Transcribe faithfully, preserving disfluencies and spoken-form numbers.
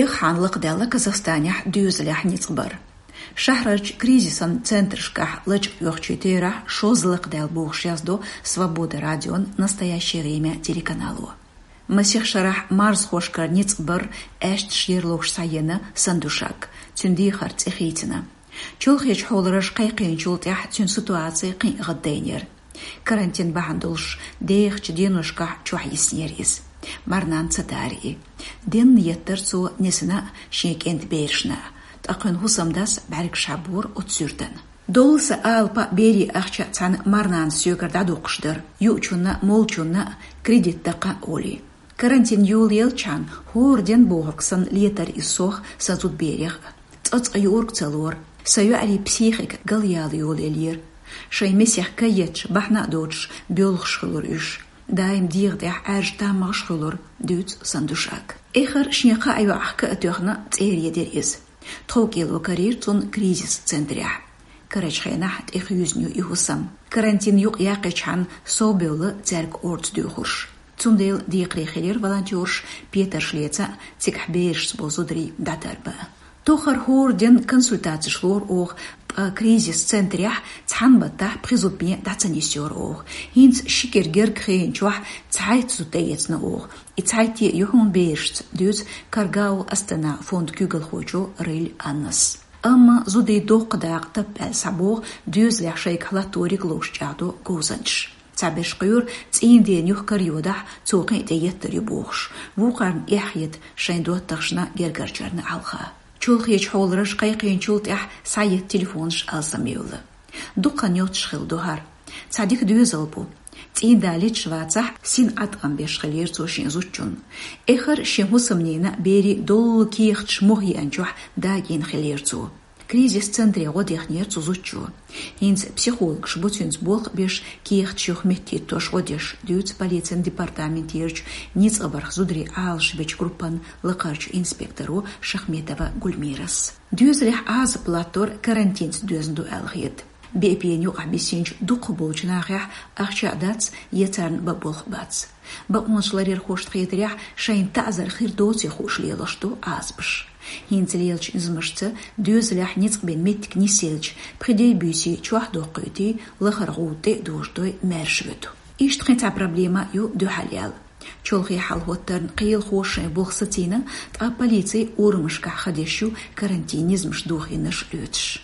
Эггара хьалха лакхадаьлла Казахстанехь доьзалехь ницкъ бар. Шахьарарчу кризисан центрашкахь лачкъа оьхучийн терахь шозза лакхадаьлла бохуш яздо «Свобода» радион «Настоящее время» телеканало. Масех шарахь марзхошкара ницкъ бар аьшпаш ерлуш схьаеана Сандушак, цуьнан дехар цӀе хийцина. Чолхечу хьоларша кхайкхийначул тӀаьхьа цуьнан ситуаци кхин а гӀаддайнера. Карантин бахьана долуш дехачу деношкахь чохь йиснера иза. Марнанна ца дари. Денна еттара цо несана а, шен кӀентан берашна а. Ткъа кхуьнан хӀусамдас бӀаьргаш хьабора оцу суьртана. Доллу сан алапа а, берийн ахча а цхьаьна марнанас соьгара дӀадоккхуш дара, юучунна а, молчунна а кредит даккха а олий. Карантин йолаелчхьана хӀора ден бохург санна летара иза сох, сан зудаберех а. Цкъа-цкъа юург ца лора, сан йоӀарийн психика галъяла йолаеллера. Шайн месех каетташ, бахьана а доцуш, боьлхуш хуьлура уьш. Даим дегӀан тӀехь Ӏаьржа таммагӀаш хуьлура, дуьйцу Сандушак. Эххар шен кхаа йоӀах ка а тоьхна, цӀере дира иза. ТховкӀело карийра цунна кризис центрехь. Карарчу хенахь тӀехуьйзина ю и хӀусам. Карантин юкъ яккхичхьана совбевлла цаьрга орца доьхурш. Цундела декхаре хилира волонтёраш петарш леца а, цигахь берашца болу зударий дӀатарбан а. Тохара хӀора ден консультацеш лора оха, ткъа кризис центрехь цхьана баттахь пхи зудаме дӀа ца нисйора оха. ХӀинца ши кӀира герга хиъначохь цхьайтта зуда тӀеэцна оха. И цхьайтта а ю хьуна берашца, дуьйцу «Каргаул Астана» фондан куьйгалхочо Рыль Аннас. Амма зудийн доккха дакъа таппа аьлла схьабогӀу доьзалехь шайгахь латториг ловш чӀагӀдо говзанчаш. Цхьаберш кхоьру цӀийнан ден юха карайодахь, цо кхин а тӀееттар ю бохуш, вукхарна эхь хета шайн доттагӀашна, гергарчарна хьалха. Чолхечу хьоларша кхайкхийначул тӀаьхьа схьаетта телефонаш алсамъевлла. Дукха йоццуш хилла ду хӀара. Цхьа дика доьзал бу. ЦӀийнан да леташ вацахь, сина Ӏаткъам беш хиллера цо шен зудчунна. Эххар шен хӀусамнина, берийн доллу кехаташ муха еанчохь дагийна хиллера цо. Кризис центре гӀо дехнера цу зудчо. ХӀинца психологаш бу цуьнца болх а беш, кехаташ юха меттахӀиттош гӀо деш, дуьйцу полицин департаментерачу ницкъ барх зударий Ӏалашбечу группан лакхарчу инспекторо Шахметова Гульмирас. Доьзалехь Ӏазап латтор карантинца доьзна ду аьлла хета. Беа-беана юкъахь бисинчу дукхахболчу нахехь ахча а дац, я царна бан болх а бац. Бакъонаш ларъярхошна хетарехь, шайна таӀзар хир доций хууш лелош ду Ӏазапаш. ХӀинца лелачу низамашца доьзалехь ницкъ бина меттиг нисъелча, пхи де-буьйса чохь доккхуьйтий, лахара гӀуда тӀе а дожадой, маьрша вуьту. Иштта кхин цхьа проблема ю дуьхьал яьлла. Чолхе хьалахӀоттарна кхелахоша шайн болх сацийна, ткъа полици урамашкахь хан деш ю карантин низамаш дохийнарш лоьцуш.